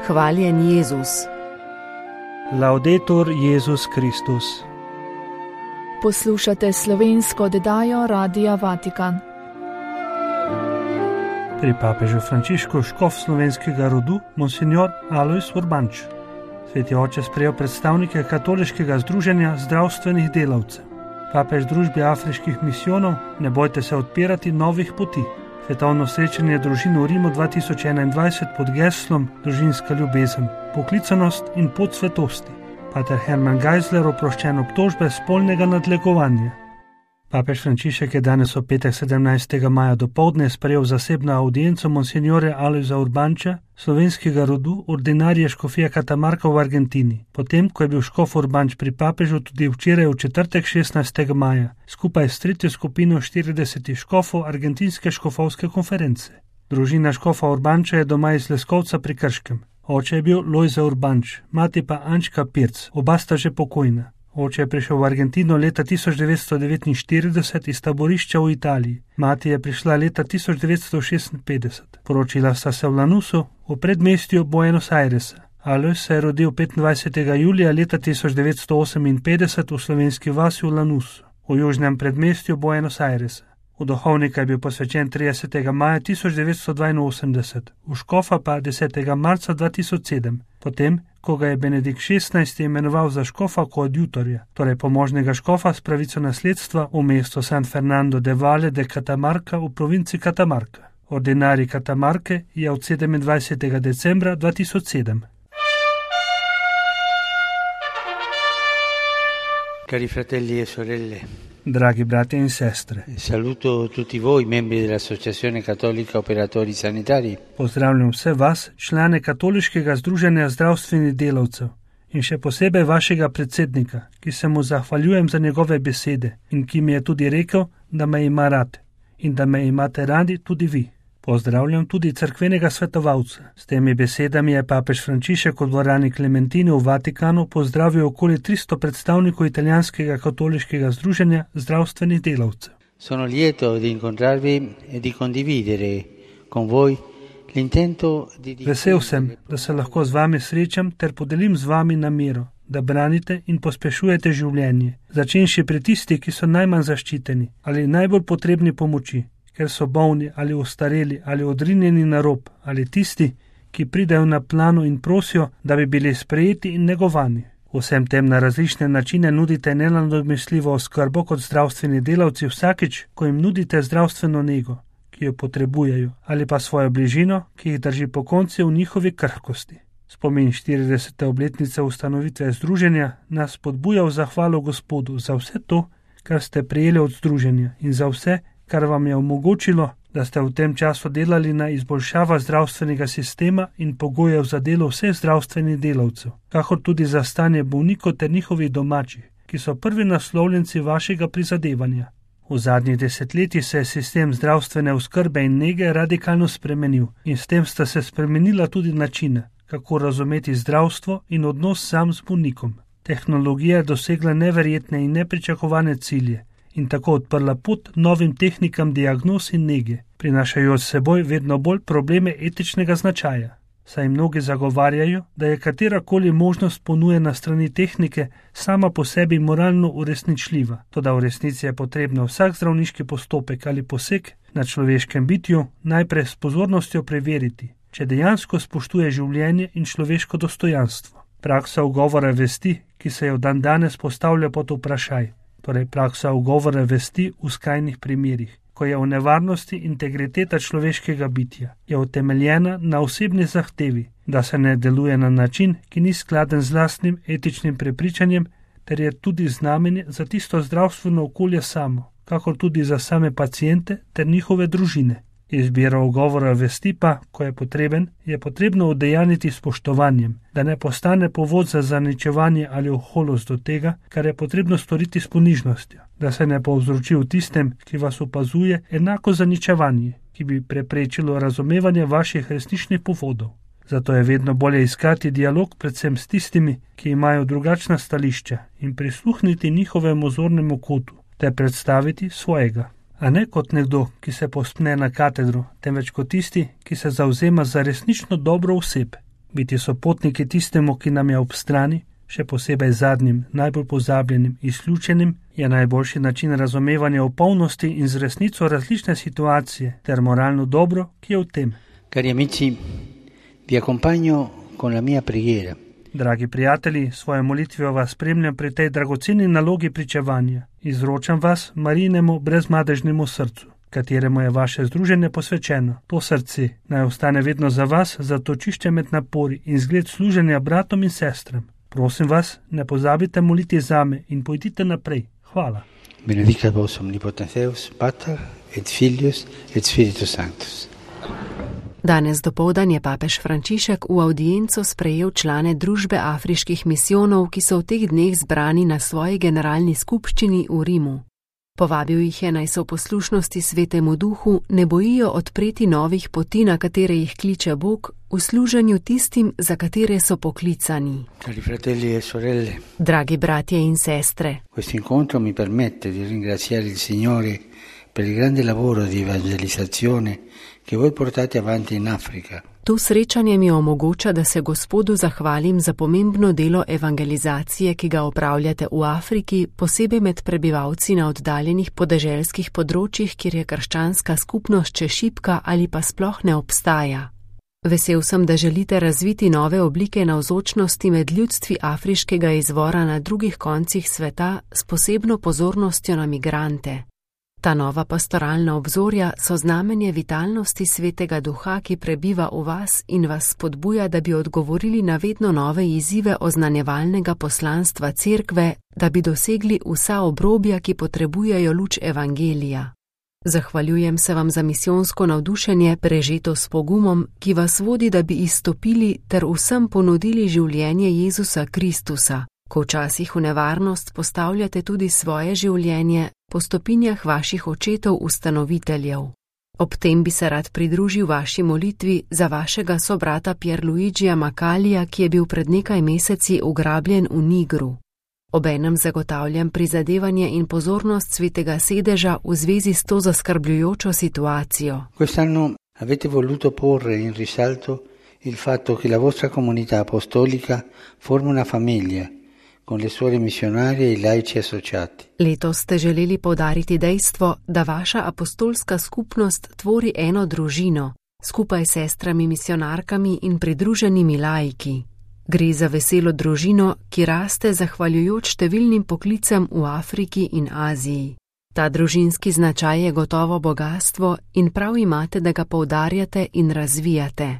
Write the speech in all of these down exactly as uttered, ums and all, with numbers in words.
Hvaljen Jezus. Laudetur Jezus Kristus. Poslušate slovensko oddajo Radia Vatikan. Pri papežu Frančišku škof slovenskega rodu, monsignor Alojz Urbanč. Sveti oče sprejel predstavnike katoliškega združenja zdravstvenih delavcev. Papež družbi afriških misijonov, ne bojte se odpirati novih poti. Svetovno srečanje družin v Rimu dva tisoč enaindvajset pod geslom Družinska ljubezen, poklicanost in pot svetosti. Pater Herman Geisler oproščen obtožbe spolnega nadlegovanja. Papež Frančišek je danes v petek sedemnajstega maja dopoldne sprejel zasebno audienco monsignore Alojza Urbanča, slovenskega rodu, ordinarije škofije Katamarka v Argentini, potem, ko je bil škof Urbanč pri papežu tudi včeraj v četrtek šestnajstega maja, skupaj s tretjo skupino štiridesetih škofov argentinske škofovske konference. Družina škofa Urbanča je doma iz Leskovca pri Krškem. Oče je bil Lojze Urbanč, mati pa Ančka Pirc, oba sta že pokojna. Oče je prišel v Argentino leta tisoč devetsto devetinštirideset iz taborišča v Italiji. Mati je prišla leta tisoč devetsto šestinpetdeset. Poročila sta se v Lanusu, v predmestju Buenos Airesa. Alojz se je rodil petindvajsetega julija leta tisoč devetsto oseminpetdeset v slovenski vasi v Lanusu, v južnem predmestju Buenos Airesa. V duhovnika je bil posvečen tridesetega maja tisoč devetsto dvainosemdeset, v škofa pa desetega marca dva tisoč sedem, potem, ko ga je Benedikt šestnajsti imenoval za škofa koadjutorja, torej pomožnega škofa s pravico nasledstva v mesto San Fernando de Valle de Catamarca v provinci Catamarca. Ordinarij Catamarke je od sedemindvajsetega decembra dva tisoč sedem. Cari fratelli e sorelle, dragi brati in sestre, saluto tutti voi, membri dell'Associazione Cattolica Operatori Sanitari. Pozdravljam vse vas, člane katoliškega združenja zdravstvenih delavcev in še posebej vašega predsednika, ki se mu zahvaljujem za njegove besede in ki mi je tudi rekel, da me ima rad in da me imate radi tudi vi. Pozdravljam tudi cerkvenega svetovalca. S temi besedami je papež Frančišek v dvorani Klementini v Vatikanu pozdravil okoli tristo predstavnikov italijanskega katoliškega združenja zdravstvenih delavcev. Sono lieto di incontrarvi e di condividere con voi l'intento di... Vesel sem, da se lahko z vami srečam ter podelim z vami namero, da branite in pospešujete življenje, začenši pri tisti, ki so najmanj zaščiteni ali najbolj potrebni pomoči, ker so bolni ali ostareli ali odrinjeni na rob, ali tisti, ki pridejo na plano in prosijo, da bi bili sprejeti in negovani. Vsem tem na različne načine nudite nenadomestljivo oskrbo kot zdravstveni delavci vsakič, ko jim nudite zdravstveno nego, ki jo potrebujejo, ali pa svojo bližino, ki jih drži pokonci v njihovi krhkosti. Spomin štiridesete obletnice ustanovitve združenja nas spodbuja v zahvalo Gospodu za vse to, kar ste prejeli od združenja in za vse, kar vam je omogočilo, da ste v tem času delali na izboljšava zdravstvenega sistema in pogojev za delo vseh zdravstvenih delavcev, kakor tudi za stanje bolnikov ter njihovih domačih, ki so prvi naslovljenci vašega prizadevanja. V zadnjih desetletjih se je sistem zdravstvene oskrbe in nege radikalno spremenil in s tem sta se spremenila tudi načine, kako razumeti zdravstvo in odnos sam z bolnikom. Tehnologija je dosegla neverjetne in nepričakovane cilje in tako odprla pot novim tehnikam diagnoz in nege, prinašajo s seboj vedno bolj probleme etičnega značaja. Saj mnogi zagovarjajo, da je katerakoli možnost ponujena strani tehnike sama po sebi moralno uresničljiva, toda v resnici je potrebno vsak zdravniški postopek ali poseg na človeškem bitju najprej s pozornostjo preveriti, če dejansko spoštuje življenje in človeško dostojanstvo. Praksa ugovora vesti, ki se je v dan danes postavlja pod vprašaj, torej praksa ugovora vesti v skrajnih primerih, ko je v nevarnosti integriteta človeškega bitja, je utemeljena na osebni zahtevi, da se ne deluje na način, ki ni skladen z lastnim etičnim prepričanjem, ter je tudi znamenje za tisto zdravstveno okolje samo, kakor tudi za same paciente ter njihove družine. Izbira ugovora vesti pa, ko je potreben, je potrebno udejaniti spoštovanjem, da ne postane povod za zaničevanje ali oholost do tega, kar je potrebno storiti s ponižnostjo, da se ne povzroči v tistem, ki vas opazuje, enako zaničevanje, ki bi preprečilo razumevanje vaših resničnih povodov. Zato je vedno bolje iskati dialog predvsem s tistimi, ki imajo drugačna stališča in prisluhniti njihovemu zornemu kotu, ter predstaviti svojega. A ne kot nekdo, ki se povzpne na katedro, temveč kot tisti, ki se zavzema za resnično dobro oseb. Biti sopotniki tistemu, ki nam je ob strani, še posebej zadnjim, najbolj pozabljenim, izključenim, je najboljši način razumevanja opolnosti in z resnico različne situacije ter moralno dobro, ki je v tem. Cari amici, vi accompagno con la mia preghiera. Dragi prijatelji, svojo molitvijo vas spremljam pri tej dragoceni nalogi pričevanja. Izročam vas Marijinemu brezmadežnemu srcu, kateremu je vaše združenje posvečeno. To srce naj ostane vedno za vas, zatočišče med napori in zgled služenja bratom in sestram. Prosim vas, ne pozabite moliti zame in pojdite naprej. Hvala. Benedicat vos omnipotens Deus, Pater et Filius et Spiritus Sanctus. Danes dopoldan je papež Frančišek v avdienco sprejel člane družbe afriških misijonov, ki so v teh dneh zbrani na svoji generalni skupščini v Rimu. Povabil jih je, naj se v poslušnosti Svetemu Duhu ne bojijo odpreti novih poti, na katere jih kliče Bog, v služenju tistim, za katere so poklicani. Cari fratelli e sorelle, Dragi bratje in sestre, questo incontro mi permette di ringraziare il Signore per il grande lavoro di evangelizzazione che voi portate avanti in Africa. To srečanje mi omogoča, da se Gospodu zahvalim za pomembno delo evangelizacije, ki ga opravljate v Afriki, posebej med prebivalci na oddaljenih podeželskih področjih, kjer je krščanska skupnost še šibka ali pa sploh ne obstaja. Vesel sem, da želite razviti nove oblike navzočnosti med ljudstvi afriškega izvora na drugih koncih sveta s posebno pozornostjo na migrante. Ta nova pastoralna obzorja so znamenje vitalnosti Svetega Duha, ki prebiva v vas in vas spodbuja, da bi odgovorili na vedno nove izzive oznanjevalnega poslanstva Cerkve, da bi dosegli vsa obrobja, ki potrebujejo luč evangelija. Zahvaljujem se vam za misijonsko navdušenje, prežeto s pogumom, ki vas vodi, da bi izstopili ter vsem ponudili življenje Jezusa Kristusa, ko včasih v nevarnost postavljate tudi svoje življenje po stopinjah vaših očetov ustanoviteljev. Ob tem bi se rad pridružil vaši molitvi za vašega sobrata Pierluigija Macalija, ki je bil pred nekaj meseci ugrabljen v Nigru. Obenem zagotavljam prizadevanje in pozornost Svetega sedeža v zvezi s to zaskrbljujočo situacijo. Quest'anno avete voluto porre in risalto il fatto che la vostra comunità apostolica forma una famiglia con le suore missionarie e i laici associati. Letos ste želeli poudariti dejstvo, da vaša apostolska skupnost tvori eno družino, skupaj s sestrami misionarkami in pridruženimi laiki. Gre za veselo družino, ki raste zahvaljujoč številnim poklicem v Afriki in Aziji. Ta družinski značaj je gotovo bogastvo in prav imate, da ga poudarjate in razvijate.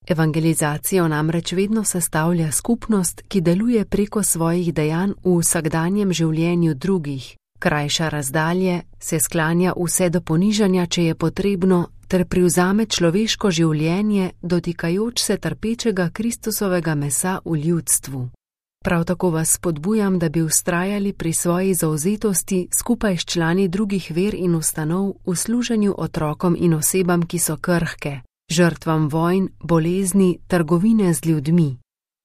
Evangelizacijo namreč vedno sestavlja skupnost, ki deluje preko svojih dejanj v vsakdanjem življenju drugih, krajša razdalje, se sklanja vse do ponižanja, če je potrebno, ter privzame človeško življenje, dotikajoč se trpečega Kristusovega mesa v ljudstvu. Prav tako vas spodbujam, da bi vztrajali pri svoji zavzetosti skupaj s člani drugih ver in ustanov v služenju otrokom in osebam, ki so krhke, žrtvam vojn, bolezni, trgovine z ljudmi.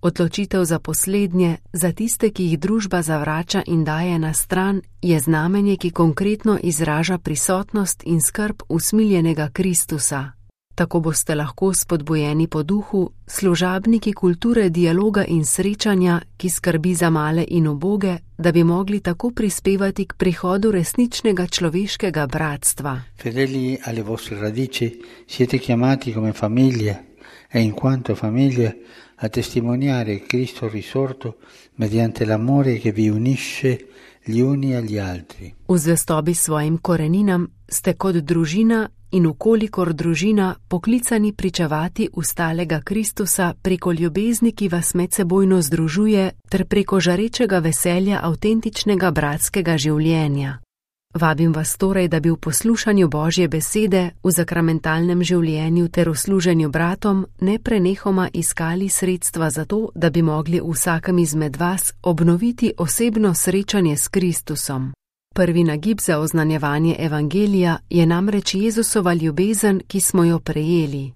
Odločitev za poslednje, za tiste, ki jih družba zavrača in daje na stran, je znamenje, ki konkretno izraža prisotnost in skrb usmiljenega Kristusa. Tako boste lahko spodbujeni po duhu, služabniki kulture dialoga in srečanja, ki skrbi za male in uboge, da bi mogli tako prispevati k prihodu resničnega človeškega bratstva. Fedeli alle vostre radici, siete chiamati come famiglia e in quanto famiglia a testimoniare Cristo risorto mediante l'amore che vi unisce gli uni agli altri. V zvestobi svojim koreninam ste kot družina in ukolikor družina poklicani pričevati ustalega Kristusa preko ljubezni, ki vas medsebojno združuje, ter preko žarečega veselja avtentičnega bratskega življenja. Vabim vas torej, da bi v poslušanju Božje besede, v zakramentalnem življenju ter v služenju bratom neprenehoma iskali sredstva za to, da bi mogli vsakem izmed vas obnoviti osebno srečanje s Kristusom. Prvi nagib za oznanjevanje evangelija je namreč Jezusova ljubezen, ki smo jo prejeli.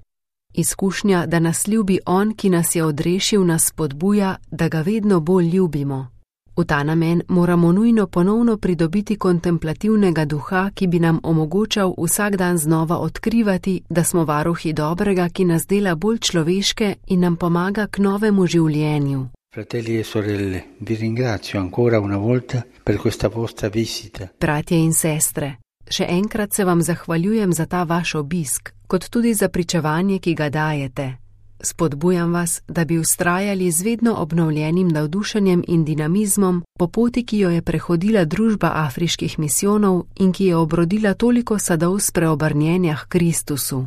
Izkušnja, da nas ljubi On, ki nas je odrešil, nas spodbuja, da ga vedno bolj ljubimo. V ta namen moramo nujno ponovno pridobiti kontemplativnega duha, ki bi nam omogočal vsak dan znova odkrivati, da smo varuhi dobrega, ki nas dela bolj človeške in nam pomaga k novemu življenju. Fratelli e sorelle, vi ringrazio ancora una volta per questa vostra visita. Bratje in sestre, še enkrat se vam zahvaljujem za ta vaš obisk, kot tudi za pričevanje, ki ga dajete. Spodbujam vas, da bi vztrajali z vedno obnovljenim navdušenjem in dinamizmom po poti, ki jo je prehodila družba afriških misijonov in ki je obrodila toliko sadov spreobrnjenja k Kristusu.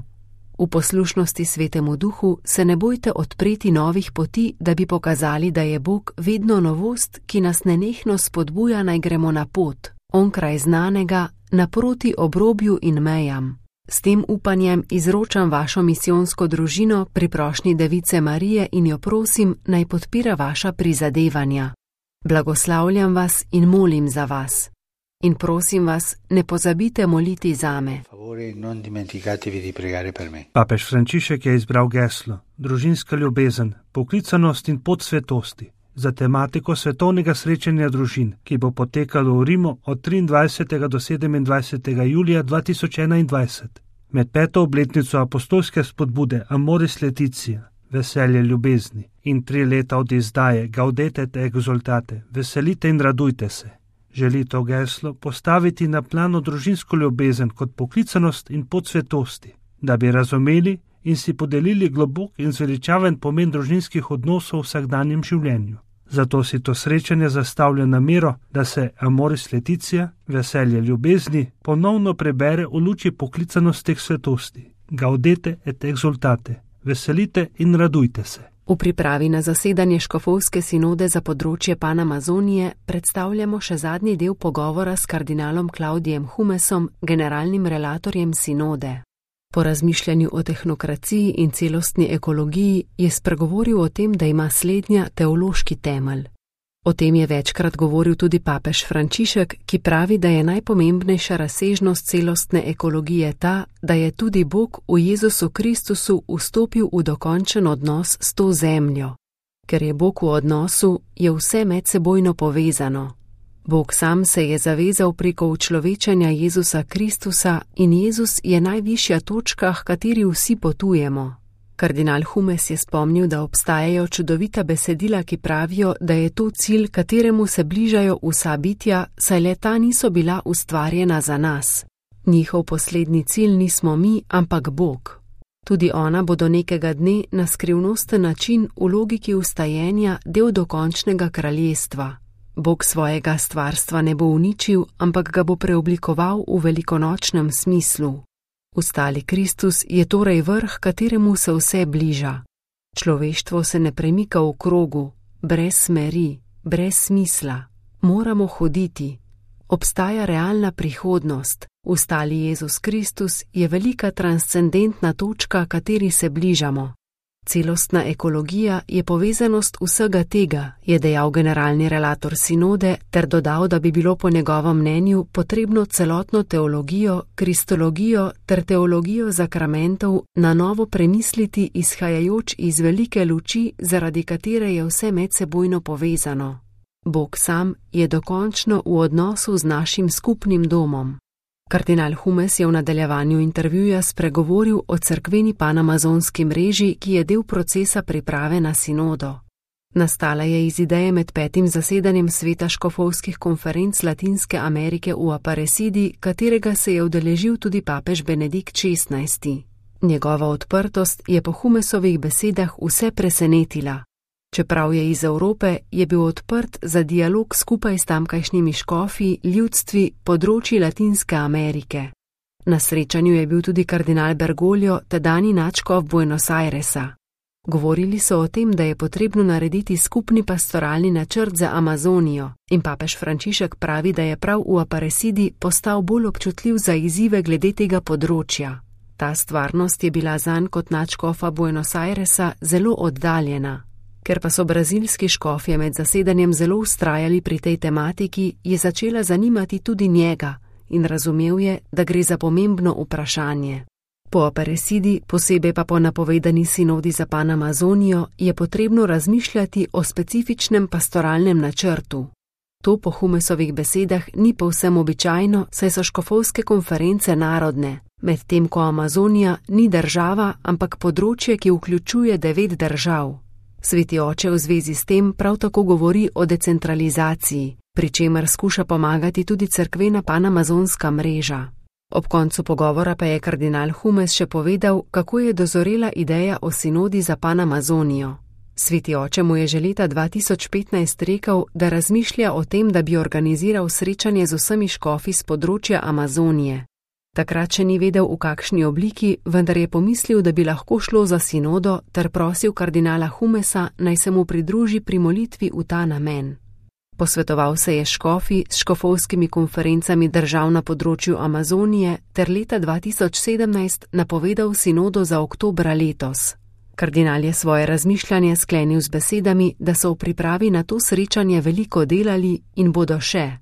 V poslušnosti Svetemu Duhu se ne bojte odpreti novih poti, da bi pokazali, da je Bog vedno novost, ki nas nenehno spodbuja, naj gremo na pot, onkraj znanega, naproti obrobju in mejam. S tem upanjem izročam vašo misijonsko družino pri prošnji Device Marije in jo prosim, naj podpira vaša prizadevanja. Blagoslavljam vas in molim za vas. In prosim vas, ne pozabite moliti zame. Papež Frančišek je izbral geslo družinska ljubezen, poklicanost in pot svetosti za tematiko svetovnega srečanja družin, ki bo potekalo v Rimu od triindvajsetega do sedemindvajsetega julija dva tisoč enaindvajset. Med peto obletnico apostolske spodbude Amoris Laetitia, veselje ljubezni, in tri leta od izdaje Gaudete et exultate, veselite in radujte se, želi to geslo postaviti na plano družinsko ljubezen kot poklicanost in pot svetosti, da bi razumeli in si podelili globok in zveličaven pomen družinskih odnosov v vsakdanjem življenju. Zato si to srečanje zastavlja namero, da se Amoris Laetitia, veselje ljubezni, ponovno prebere v luči poklicanosti k svetosti. Gaudete et exultate, veselite in radujte se. V pripravi na zasedanje škofovske sinode za področje Panamazonije predstavljamo še zadnji del pogovora s kardinalom Klaudijem Humesom, generalnim relatorjem sinode. Po razmišljanju o tehnokraciji in celostni ekologiji je spregovoril o tem, da ima slednja teološki temelj. O tem je večkrat govoril tudi papež Frančišek, ki pravi, da je najpomembnejša razsežnost celostne ekologije ta, da je tudi Bog v Jezusu Kristusu vstopil v dokončen odnos s to zemljo. Ker je Bog v odnosu, je vse medsebojno povezano. Bog sam se je zavezal preko učlovečanja Jezusa Kristusa in Jezus je najvišja točka, h kateri vsi potujemo. Kardinal Humes je spomnil, da obstajajo čudovita besedila, ki pravijo, da je to cilj, kateremu se bližajo vsa bitja, saj le ta niso bila ustvarjena za nas. Njihov poslednji cilj nismo mi, ampak Bog. Tudi ona bo do nekega dne na skrivnosten način v logiki ustajenja del dokončnega kraljestva. Bog svojega stvarstva ne bo uničil, ampak ga bo preoblikoval v velikonočnem smislu. Ustali Kristus je torej vrh, kateremu se vse bliža. Človeštvo se ne premika v krogu, brez smeri, brez smisla. Moramo hoditi. Obstaja realna prihodnost. Ustali Jezus Kristus je velika transcendentna točka, kateri se bližamo. Celostna ekologija je povezanost vsega tega, je dejal generalni relator sinode, ter dodal, da bi bilo po njegovem mnenju potrebno celotno teologijo, kristologijo ter teologijo zakramentov na novo premisliti, izhajajoč iz velike luči, zaradi katere je vse medsebojno povezano. Bog sam je dokončno v odnosu z našim skupnim domom. Kardinal Humes je v nadaljevanju intervjuja spregovoril o cerkveni panamazonski mreži, ki je del procesa priprave na sinodo. Nastala je iz ideje med petim zasedanjem sveta škofovskih konferenc Latinske Amerike v Aparecidi, katerega se je udeležil tudi papež Benedikt šestnajsti. Njegova odprtost je po Humesovih besedah vse presenetila. Čeprav je iz Evrope, je bil odprt za dialog skupaj s tamkajšnjimi škofi, ljudstvi, področji Latinske Amerike. Na srečanju je bil tudi kardinal Bergoglio, tedajni nadškof Buenos Airesa. Govorili so o tem, da je potrebno narediti skupni pastoralni načrt za Amazonijo in papež Frančišek pravi, da je prav v Aparecidi postal bolj občutljiv za izzive glede tega področja. Ta stvarnost je bila zanj kot nadškofa Buenos Airesa zelo oddaljena. Ker pa so brazilski škofje med zasedanjem zelo vztrajali pri tej tematiki, je začela zanimati tudi njega in razumel je, da gre za pomembno vprašanje. Po Aparecidi, posebej pa po napovedani sinodi za Panamazonijo, je potrebno razmišljati o specifičnem pastoralnem načrtu. To po Humesovih besedah ni povsem običajno, saj so škofovske konference narodne, medtem ko Amazonija ni država, ampak področje, ki vključuje devet držav. Sveti oče v zvezi s tem prav tako govori o decentralizaciji, pri čemer skuša pomagati tudi cerkvena panamazonska mreža. Ob koncu pogovora pa je kardinal Humes še povedal, kako je dozorela ideja o sinodi za Panamazonijo. Sveti oče mu je že leta dva tisoč petnajst rekel, da razmišlja o tem, da bi organiziral srečanje z vsemi škofi z področja Amazonije. Takrat še ni vedel, v kakšni obliki, vendar je pomislil, da bi lahko šlo za sinodo, ter prosil kardinala Humesa, naj se mu pridruži pri molitvi v ta namen. Posvetoval se je s škofi, s škofovskimi konferencami držav na področju Amazonije ter leta dva tisoč sedemnajst napovedal sinodo za oktobra letos. Kardinal je svoje razmišljanje sklenil z besedami, da so v pripravi na to srečanje veliko delali in bodo še.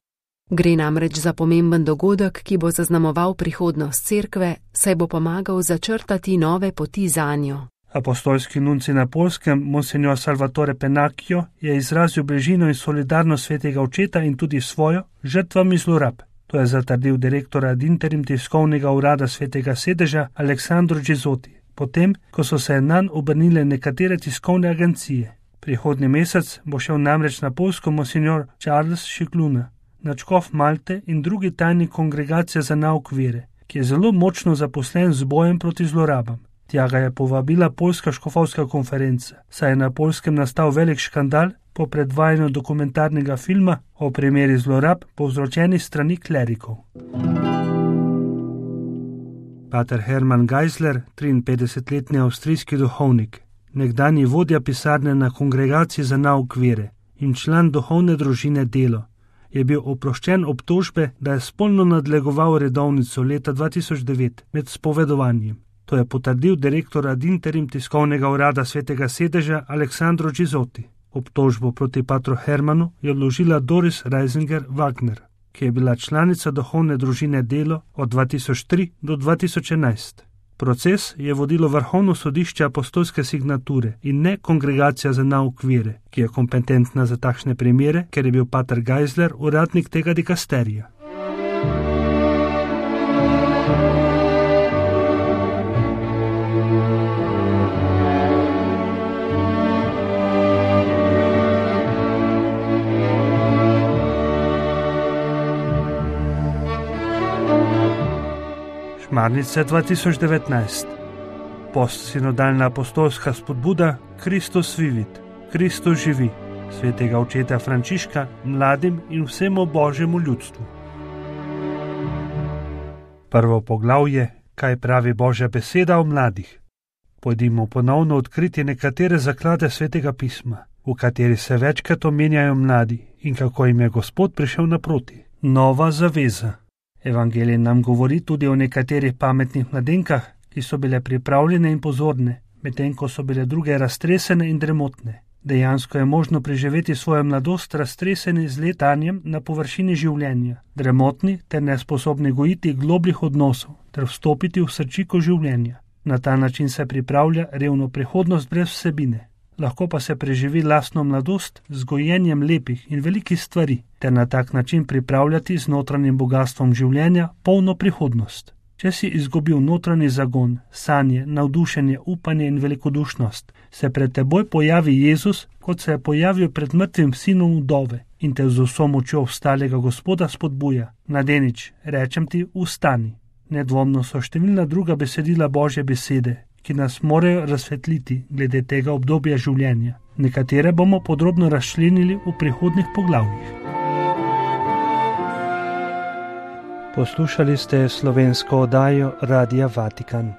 Gre namreč za pomemben dogodek, ki bo zaznamoval prihodnost cerkve, saj bo pomagal začrtati nove poti zanjo. Apostolski nunci na Poljskem, monsignor Salvatore Penacchio, je izrazil bližino in solidarnost svetega očeta in tudi svojo žrtvami zlorab. To je zatrdil direktor ad interim tiskovnega urada svetega sedeža Aleksandro Gizotti, potem, ko so se nanj obrnile nekatere tiskovne agencije. Prihodnji mesec bo šel namreč na Poljsko monsignor Charles Šikluna, nadškof Malte in drugi tajnik kongregacije za nauk vere, ki je zelo močno zaposlen z bojem proti zlorabam. Tja ga je povabila Poljska škofovska konferenca, saj je na Poljskem nastal velik škandal po predvajanju dokumentarnega filma o primeri zlorab povzročenih strani klerikov. Pater Hermann Geisler, triinpetdesetletni avstrijski duhovnik, nekdanji vodja pisarne na kongregaciji za nauk vere in član duhovne družine Delo, je bil oproščen obtožbe, da je spolno nadlegoval redovnico leta dva tisoč devet med spovedovanjem. To je potrdil direktor ad interim tiskovnega urada svetega sedeža Aleksandro Gizotti. Obtožbo proti patru Hermanu je vložila Doris Reisinger Wagner, ki je bila članica duhovne družine Delo od dva tisoč tri do dva tisoč enajst. Proces je vodilo Vrhovno sodišče apostolske signature in ne kongregacija za nauk vere, ki je kompetentna za takšne primere, ker je bil pater Geisler uradnik tega dikasterija. Šmarnice dva tisoč devetnajst. Postsinodalna apostolska spodbuda Kristus vivit, Kristus živi, svetega očeta Frančiška mladim in vsemu božjemu ljudstvu. Prvo poglavje, kaj pravi Božja beseda o mladih. Pojdimo ponovno odkriti nekatere zaklade svetega pisma, v kateri se večkrat omenjajo mladi in kako jim je Gospod prišel naproti. Nova zaveza. Evangelij nam govori tudi o nekaterih pametnih mladenkah, ki so bile pripravljene in pozorne, medtem ko so bile druge raztresene in dremotne. Dejansko je možno preživeti svojo mladost raztreseni z letanjem na površini življenja, dremotni ter nesposobni gojiti globljih odnosov ter vstopiti v srčiko življenja. Na ta način se pripravlja revno prihodnost brez vsebine. Lahko pa se preživi lastno mladost z gojenjem lepih in velikih stvari, ter na tak način pripravljati z notranjim bogastvom življenja polno prihodnost. Če si izgubil notranji zagon, sanje, navdušenje, upanje in velikodušnost, se pred teboj pojavi Jezus, kot se je pojavil pred mrtvim sinom vdove in te z vso močjo vstalega Gospoda spodbuja. Mladenič, rečem ti, vstani. Nedvomno so številna druga besedila Božje besede, ki nas morajo razsvetliti glede tega obdobja življenja. Nekatere bomo podrobno razčlenili v prihodnjih poglavjih. Poslušali ste slovensko oddajo Radia Vatikan.